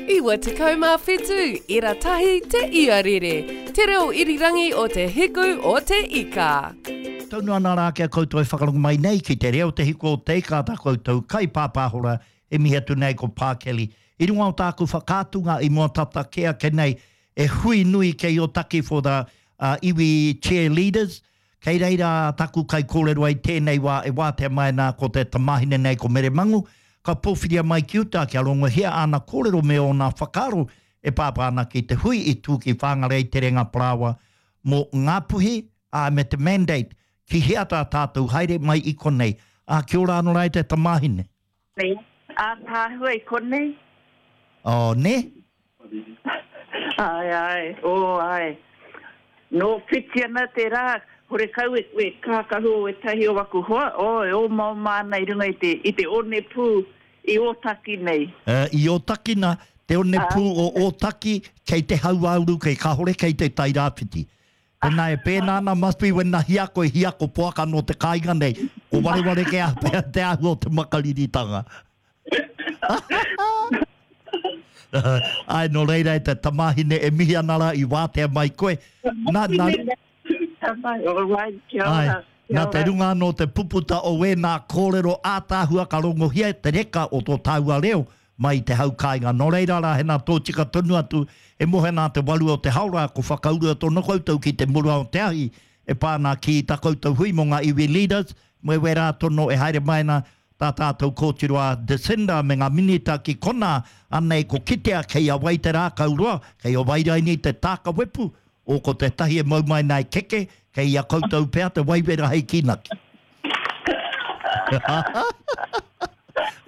97 ira tahi te iarere, te reo irirangi o te hiku o te ika. Taunu ana rā ki a koutou e whakarongo mai nei ki te reo te hiku o te ika tā koutou kaipāpāhora e mihi atu nei ko Pā Kelly. I runga o tāku whakaatunga i mua tata kē ake nei e hui nui kei Otaki for the iwi chair leaders, Kei reira taku kaikōrero ai tēnei wā e wātea mai ana ko te tamāhine nei ko Mere Mangu, ka pōwhiria mai ki uta kia rongohia āna kōrero me ōna whakaaro e pāpā ana ki te hui i tū ki Whangarei Terenga Parāoa mō Ngāpuhi, ā, me te mandate ki hea tā tātou haere mai i konei. Ā, kia ora anō rā e te tamāhine. Nei, ātaahua i konei. Oh, nē? Āe, āe, oh, āe. Nō whiti ana te rā, horekau e, e kākahu o ētahi o aku hoa, oh, e omaoma ana i runga i te, i te onepū i Ōtaki nei. Uh, i Ōtaki nā, te onepū o Ōtaki kei te hauāuru, kei kāore kei te Tairāwhiti. Pēnā e pēnā ana, must be when na hiako e hiako poaka nō te kāinga nei, ko wareware kē pea te āhua o te makariritanga. Āe, nō reira e te tamāhine e mihi ana rā i wātea mai koe. Nā, nā, Āe, nā te runga anō te puputa o wēnā kōrero ātaahua ka rongohia te reka o tō tāua reo mai i te hau kāinga. Nō reira rā, hena tōtika tonu atu, e mohe nā te waru o te haora, ko whakaurua tonu koutou ki te mura o te ahi e pā ana ki tā koutou hui mō ngā iwi leaders, me wērā tono e haere mai ana tā tātou kōtiro a Jacinda me ngā minita ki konā, anei ko kitea kei a wai te rākau roa, kei a Wairaini te tāka wepu, o ko tētahi e mau mai nei keke, kei a koutou pea te waiwera hei kīnaki.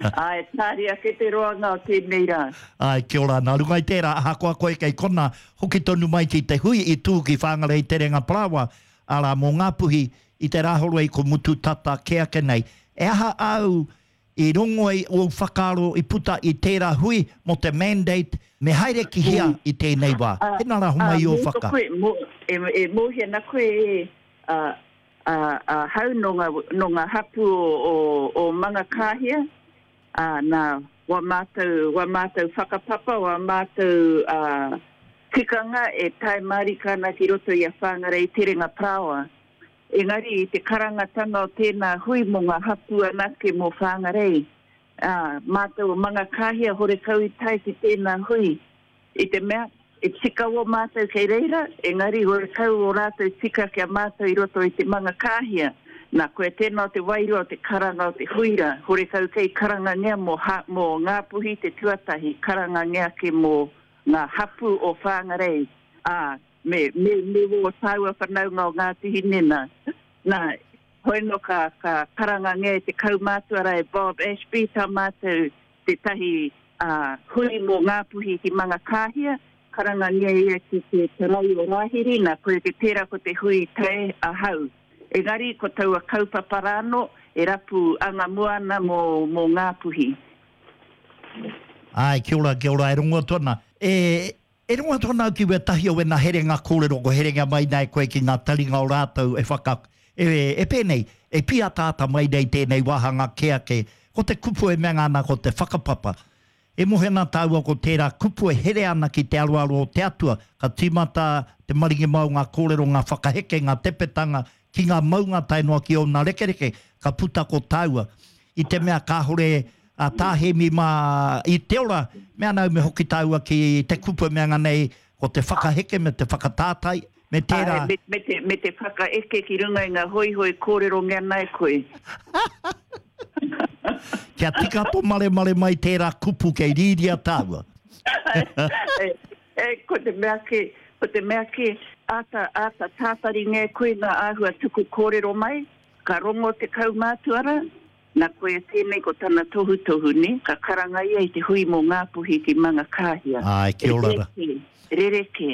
Āe, tāria ake te roanga o tēnei rā. Āe, kia ora. Nā runga i tērā, ahakoa koe kei konā, hoki tonu mai ki te hui i tū ki Whangarei Terenga Parāoa, arā, mō Ngāpuhi, i te Rāhoroi ko mutu tata kē ake nei. E aha āu i rongo ai ōu whakaaro i puta i tērā hui mō te mandate me haere ki hea i tēnei wā? Tēnā rā homai ō whaka. E mōhio ana koe e, ahau nō ngā, nō ngā hapū o, o, o Mangakāhia, ā, nā, wā mātou, wā mātou whakapapa, wā mātou, ā, tikanga e tae mārika ana ki roto i a Whāngarei Terenga Parāoa. Engari i te karangatanga o tēnā hui mō ngā hapū anake mō Whāngarei, ā, mātou o Mangakāhia horekau i tae ki tēnā hui. I te mea, e tika wō mātou kei reira, engari horekau ō rātou tika ki a mātou i roto i te Mangakāhia. Nā, koia tēnā o te wairua o te karanga o te huira, horekau kei karangangia mō ha, mō Ngāpuhi te tuatahi, karangangia ake mō ngā hapū o Whāngarei, ā, me, me, me wō tāua whanaunga o Ngāti Hine, nā. Nā, hoi nō ka, ka karangangia e te kaumātua rā e Bob Ashby tā mātou tētahi hui mō Ngāpuhi ki Mangakāhia, karangangia ia ki te Tarai o Rāhiri, nā, koia te tērā ko te hui tae ahau. Engari ko taua kaupapa rānō e rapu anga mua ana mō, mō Ngāpuhi. Āe, kia ora, kia ora, e rongo atu ana. E, e rongo atu ana au ki wētahi o wēnā herenga kōrero ko herenga mai nei koe ki ngā taringa o rātou e whaka, e, e pēnei, e pīataata mai nei tēnei wāhanga kē ake, ko te kupu e mea ana ko te whakapapa. E mohe ana tāua ko tērā kupu e here ana ki te aroaro o te Atua, ka tīmata te maringi mai o ngā kōrero, ngā whakaheke, ngā tepetanga ki ngā maunga tae noa ki ōna rekereke, ka puta ko tāua. I te mea kāore a Tā Hēmi mā i te ora, mea ana au me hoki tāua ki te kupu e mea ana nei ko te whakaheke me te whakatātai, me tērā. Āe, me te, me te whakaeke ki runga i ngā hoihoi kōrerongia nei koe. Kia tika to maremare mai tērā kupu kei rīria tāua. E, e, ko te mea kē, ko te mea kē, āta, āta tātaringia e koe ngā āhua tuku kōrero mai, ka rongo te kaumātua rā, Na koia tēnei ko tana tohutohu, ne? Ka karanga ia i te hui mō Ngāpuhi ki Mangakāhia. Āe, kia ora ra. Rerekē, rerekē.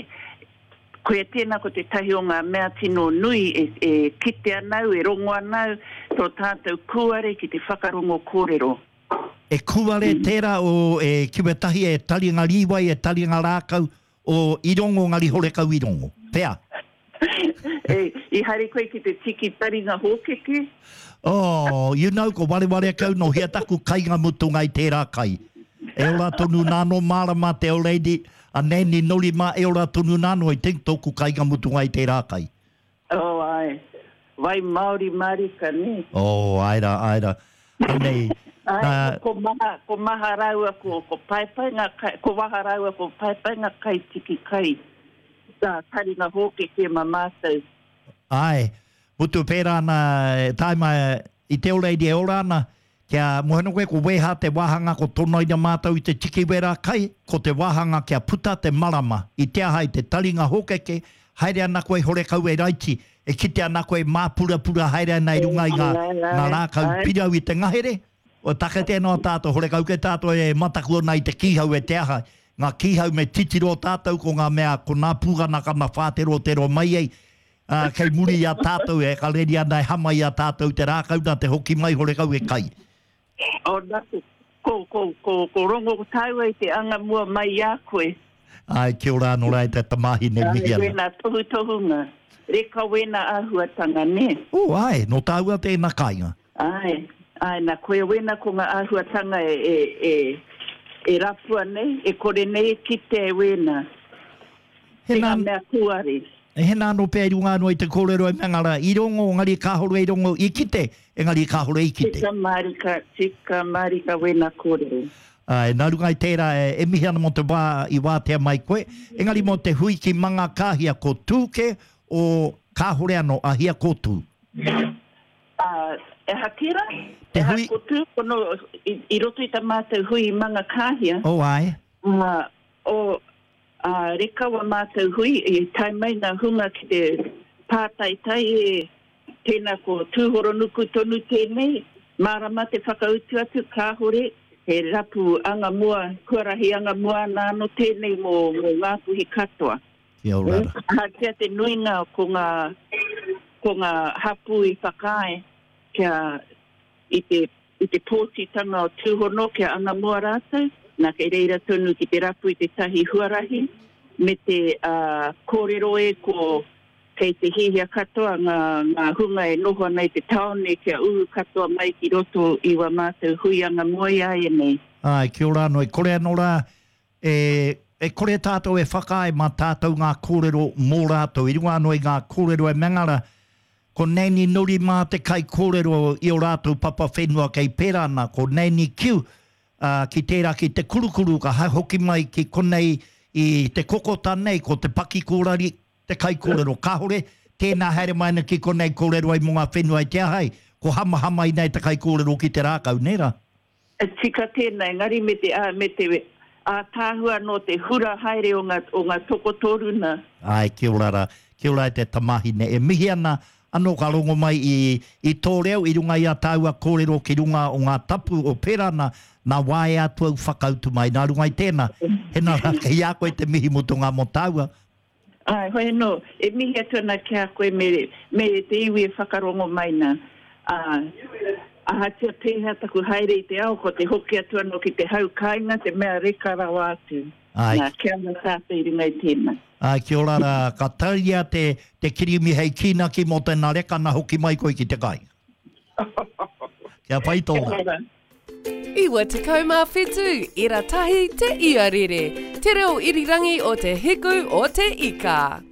Koia tēnā ko tētahi o ngā mea tino nui e, e kite ana au, e rongo ana au, tō tātou kūare ki te whakarongo kōrero. E kūare tērā o e kiwetahi e taringa rīwai, e taringa rākau, o i rongo ngari horekau i rongo. Pea. E, i haere koe ki te tiki taringa hōkeke? Oh, you know, ko wareware kau no hea taku kainga mutunga i tērā kai. E ora tonu nā no mārama te old lady, a Nanny Norima e ora tonu nā no, I think tōku kainga mutunga i tērā kai. Oh, āe. Wai Māori mārika, nē? Oh, āe rā, āe rā. Anei, Āe, nā. Ko Maha, ko Maha rāua ko, ko Paepae ngā kai, ko Waha rāua ko Paepae ngā kaitiki kai, tā taringa hōkeke ma mātou. Āe, mutu pērā ana, e taima i te old lady e ora ana, Kia moe ano koe ko weha te wāhanga ko tonoina mātou i te tiki wera kai, ko te wāhanga kia puta te marama i te aha i te taringa hōkeke, haere ana koe horekau e raiti, e kite ana koe māpurapura haere ana i runga i ngā, ngā rākau pirau i te ngahere, o take tēnā o tātou horekau kei tātou e mataku ana i te kīhau e te aha, ngā kīhau me titiro tātou ko ngā mea ko nā pūkanakana whāterotero mai ei, Ā, kei muri i a tātou e kareri ana e hama i a tātou te rākau nā te hoki mai horekau e kai. Oh, nā, ko, ko, ko, ko rongo tāua i te anga mua mai i a koe. Āe, kia ora anō rā e te tamāhine mihi ana. Āe, wēnā tohutohunga, reka wēnā āhuatanga, nē? Oh, āe, nō tāua tēnā kāinga. Āe, āe, nā, koia wēnā ko ngā āhuatanga e, e, e, e rapua nei, e kore nei e kitea e wēnā. He Te ngā mea kūare. He nā anō pea i runga anō i te kōrero e mea rā, i rongo, engari kāore i rongo, i kite, engari kāore i kite. Tika mārika, tika mārika wēnā kōrero. Āe, nā runga i tērā, e mihi ana mō te wā i wātea mai koe, engari mō te hui ki Mangakāhia ko Tū kē, o kāore anō a hia ko Tū. Ā, e aha tērā? Te E aha hui. ko Tū, kono, i, i roto i tā mātou hui i Mangakāhia. Oh, āe. Ā, o, Ā, reka wa mātou hui, i tae mai ngā hunga ki te pātaitai e, tēnā ko Tūhoronuku tonu tēnei, mārama te whakautu atu, kāhore, he rapu anga mua, huarahi anga mua ana anō tēnei mō, mō Ngāpuhi katoa. Kia ora. Ahatia te nuinga ko ngā, ko ngā hapū i whakaae kia, i te i te pōtitanga o Tūhono kia anga mua rātou, nā kei reira tonu ki te rapu i tētahi huarahi me te kōrero e ko kei te hiahia katoa ngā ngā hunga e noho ana i te tāone kia uru katoa mai ki roto i wā mātou hui anga mua i āianei. Āe, kia ora anō, e kore anō rā e e kore tātou e whakaae mā tātou ngā kōrero mō rātou i runga anō i ngā kōrero e mea ana Ko Nanny Nori mā te kaikōrero i ō rātou papa whenua kei pērā ana, ko Nanny Kiu, ā, ki tērā ki te kurukuru ka hoki mai ki konei i te kokota nei, ko Te Pakikōrari te kaikōrero. Kāore tēnā haere mai ana ki konei kōrero ai mō ngā whenua i te aha ai, ko Hamahama inai te kaikōrero ki te rākau, nē rā? E tika tēnā, engari me te, me te ātaahua anō te hura haere o ngā, o ngā tokotoru nā. Āe, kia ora rā. Kia ora e te tamāhine. E mihi ana anō ka rongo mai i, i tō reo i runga i ā tāua kōrero ki runga o ngā tapu o Perana, nā waea atu au whakautu mai. Nā runga i tēnā, hena rā kei a koe te mihi mutunga mō tāua. Āe, hoi anō, e mihi atu ana ki a koe me, me te iwi e whakarongo mai nā. Ā, ahatia pēhea taku haere i te ao, ko te hoki atu anō ki te hau kāinga te mea reka rawa atu. Āe. Nā, kia ora tātou i runga i tēnā. Āe, kia ora rā, ka tauria te, te kirimi hei kīnaki mō tēnā reka nā hoki mai koe ki te kāinga. Kia whai tō Kia rā. ora. 97 ira tahi te iarere, te reo irirangi o te hiku o te ika.